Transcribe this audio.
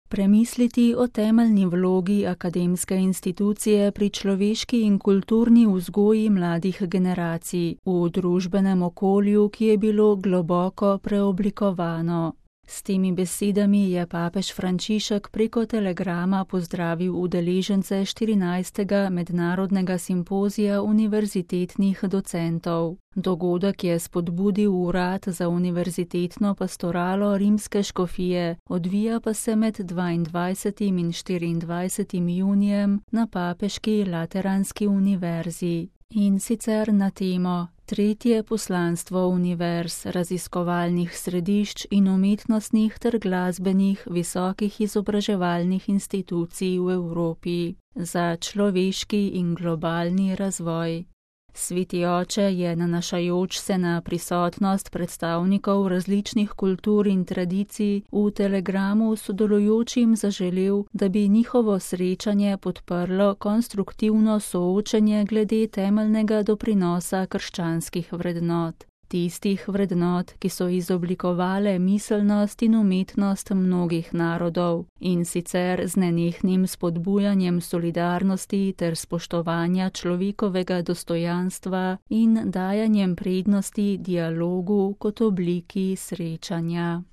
Premisliti o temeljni vlogi akademske institucije pri človeški in kulturni vzgoji mladih generacij v družbenem okolju, ki je bilo globoko preoblikovano. S temi besedami je papež Frančišek preko telegrama pozdravil udeležence 14. mednarodnega simpozija univerzitetnih docentov. Dogodek je spodbudil urad za univerzitetno pastoralo rimske škofije, odvija pa se med 22. in 24. junijem na Papeški lateranski univerzi. In sicer na temo Tretje poslanstvo univerz, raziskovalnih središč in umetnostnih ter glasbenih visokih izobraževalnih institucij v Evropi za človeški in globalni razvoj. Sveti oče je, nanašajoč se na prisotnost predstavnikov različnih kultur in tradicij, v telegramu sodelujočim zaželel, da bi njihovo srečanje podprlo konstruktivno soočenje glede temeljnega doprinosa krščanskih vrednot. Tistih vrednot, ki so izoblikovale miselnost in umetnost mnogih narodov, in sicer z nenehnim spodbujanjem solidarnosti ter spoštovanja človekovega dostojanstva in dajanjem prednosti dialogu kot obliki srečanja.